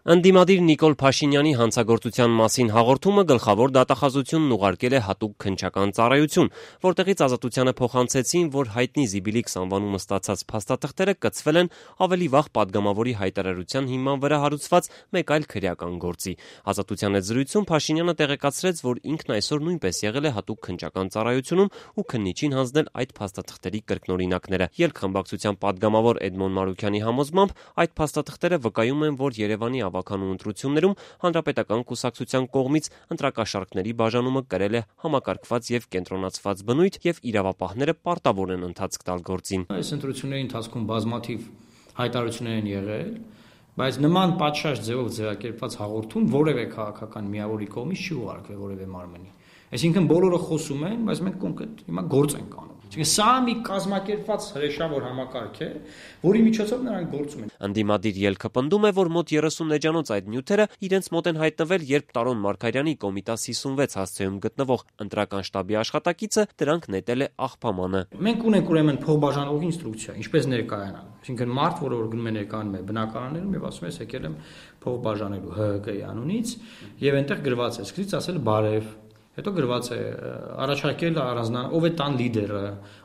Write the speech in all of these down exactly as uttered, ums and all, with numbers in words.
Ընդդիմադիր Նիկոլ Փաշինյանի հանցագործության մասին հաղորդումը գլխավոր դատախազությունն ուղարկել է հատուկ քննչական ծառայություն, որտեղից Ազատությանը փոխանցեցին, որ հայտնի Զիբիլիքս անվանումը ստացած փաստաթղթերը կցվել են ավելի վաղ падգամավորի հայտարարության հիման վրա հարուցված մեկ այլ քրեական գործի։ Ազատության հետ զրույցում Փաշինյանը տեղեկացրեց, որ ինքն այսօր նույնպես եղել է հատուկ քննչական ծառայությունում ու քննիչին հանձնել այդ փաստաթղթերի կրկնօրինակները։ Ելք-խմբակցության падգամավոր Էդմոն Մարուքյանի համոզմամբ այդ փաստաթղթերը վկայում են, որ Երևանի ավականու ընտրություններում Հանրապետական կուսակցության կողմից ընտրակաշառքների բաժանումը կրել է համակարգված եւ կենտրոնացված բնույթ եւ իրավապահները պարտավոր են ընթացք տալ գործին։ Այս ընտրությունների ընթացքում բազմաթիվ հայտարարություններ են եղել, բայց նման պատշաճ ձևով ձևակերպված հաղորդում որևէ քաղաքական միավորի կողմից չի ուղարկվել որևէ մարմնի։ Այսինքն բոլորը խոսում են, բայց մենք կոնկրետ հիմա գործ ենք անում։ Այսինքն սա մի կազմակերպված հրեշավոր համակարգ է, որի միջոցով նրանք գործում են։ Ընդդիմադիր ելքը պնդում է, որ մոտ երեսուն էջանոց այդ նյութերը իրենց մոտ են հայտնվել, երբ Տարոն Մարգարյանի Կոմիտաս հիսունվեց հասցեում գտնվող ընտրական շտաբի աշխատակիցը դրանք նետել է աղբամանը։ Մենք ունենք ուրեմն փոխբաժանողի ինստրուկցիա, ինչպես ներկայանալ։ Այսինքն մարդ, որը որ գնում է ներկայանում է բնակարաններում եւ ասում է, եկել եմ փող բաժանելու Հ Հ Կ-ի անունից, եւ այնտեղ գրված է, սկզբից ասել բարև, հետո գրված է առաջարկել առանձնանալ, ով է տան լիդերը,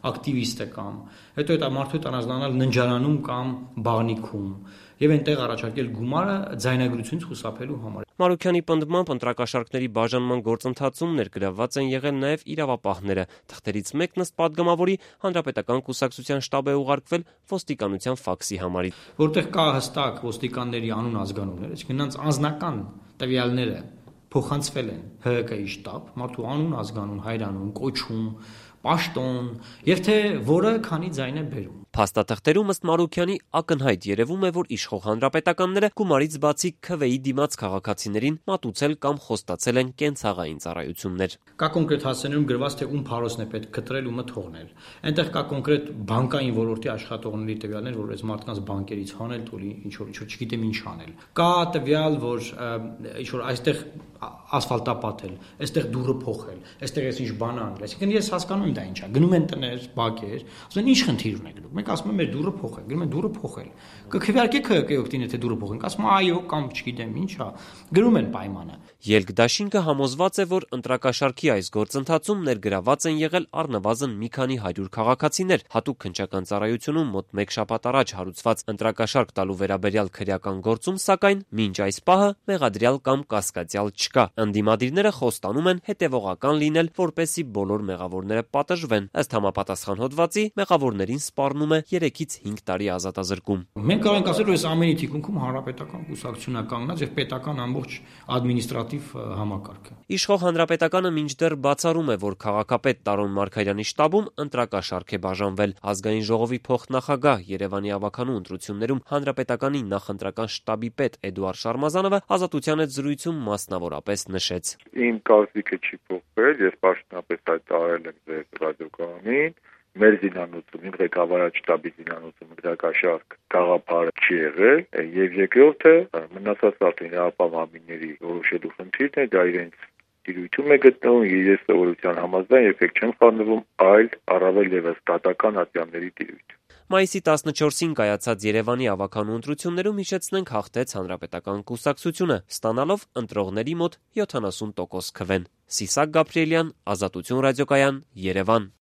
ակտիվիստը կամ, հետո այդ մարդու հետ առանձնանալ ննջարանում կամ բաղնիքում եւ այնտեղ առաջարկել գումարը ձայնագրությունից խուսափելու համար։ Մարուքյանի պնդմամբ ընտրակաշառքների բաժանման գործընթացում ներգրավված են եղել նաեւ իրավապահները։ Թղթերից մեկն ըստ падգամավորի Հանրապետական կուսակցության շտաբ է ուղարկվել ոստիկանության ֆաքսի համարից, որտեղ կա հստակ ոստիկանների անուն ազգանուններ, այսինքն նրանց անձնական տվյալները փոխանցվել են Հ Հ Կ-ի շտաբ, մարդու անուն, ազգանուն, հայրանուն, կոչում, պաշտոն, եւ թե որը քանի ձայն է բերում։ Փաստաթղթերում ըստ Մարուքյանի ակնհայտ երևում է, որ իշխող հանրապետականները գումարից բացի Քվեի դիմաց քաղաքացիներին մատուցել կամ խոստացել են կենցաղային ծառայություններ։ Կա կոնկրետ հասցեներում գրված, թե ում փարոսն է պետք կտրել, ումը թողնել։ Այնտեղ կա կոնկրետ բանկային ոլորտի աշխատողների տվյալներ, որ այս մարդկանց բանկերից հանել, տուլի ինչ որ ինչ որ չգիտեմ ինչ անել։ Կա տվյալ, որ ինչ որ այստեղ ասֆալտապատել, այստեղ դուռը փոխել, այստեղ էս ինչ բան անել։ Այսինքն ես հասկանում եմ դա ինչա։ Գնում են տներ, բակեր, ասում են ինչ խնդիր ունեք դուք։ Մենք ասում ենք մեր դուռը փոխել, գնում են դուռը փոխել։ Կքվեարկեք Հ Հ Կ-ի օգտին, եթե դուռը փոխենք, ասում են այո կամ չգիտեմ ինչա։ Գրում են պայմանը։ Ելք դաշինքը համոզված է, որ ընտրակաշառքի այս գործընթացում ներգրաված են եղել առնվազն մի քանի հարյուր քաղաքացիներ։ Հատուկ քննչական ծառայությունում մոտ մեկ շաբաթ առաջ հարուցված ընտրակաշառք տալու վերաբերյալ քրեական գործում, սակայն մինչ այս պահը մեղադրյալ կամ կասկածյալ չկա։ Ընդդիմադիրները խոստանում են հետևողական լինել, որպեսզի բոլոր մեղավորները պատժվեն։ Ըստ համապատասխան հոդվածի մեղավորներին սպառնում է երեքից հինգ տարի ազատազրկում։ Մենք կարող ենք ասել, որ այս ամենի թիկունքում հանրապետական կուսակցությունն է կանգնած եւ պետական ամբողջ ադմինիստրատիվ համակարգը։ Իշխող հանրապետականը մինչդեռ բացառում է, որ քաղաքապետ Տարոն Մարգարյանի շտաբում ընտրակաշառք է բաժանվել։ Ազգային ժողովի փոխնախագահ Երևանի ավականու ընտրություններում հանրապետականի նախընտրական շտաբի պետ Էդուարդ Շարմազանովը Ազատության հետ զրույցում մասնավորապես նշեց. Իմ կարծիքը չի փոխվել, ես պաշտոնապես հայտարարել եմ ձեր ռադիոկայանին, մեր զինանոցում, ղեկավարած շտաբի զինանոցում ընտրակաշառք գաղափարը չի եղել, եւ երկրորդը մնացած արդեն ապահովամիների որոշելու խնդիրն է, դա իրենց դիրույթում է գտնվում, իրենց սովորության համաձայն երբեք չեն խառնվում այլ առավել եւս դատական ատյանների դիրույթ։ Մայիսի տասնչորսին կայացած Երևանի ավականու ընտրություններում հիշեցնենք հաղթեց Հանրապետական կուսակցությունը, ստանալով ընտրողների մոտ յոթանասուն տոկոս քվեն։ Սիսակ Գաբրիելյան, Ազատություն ռադիոկայան, Երևան։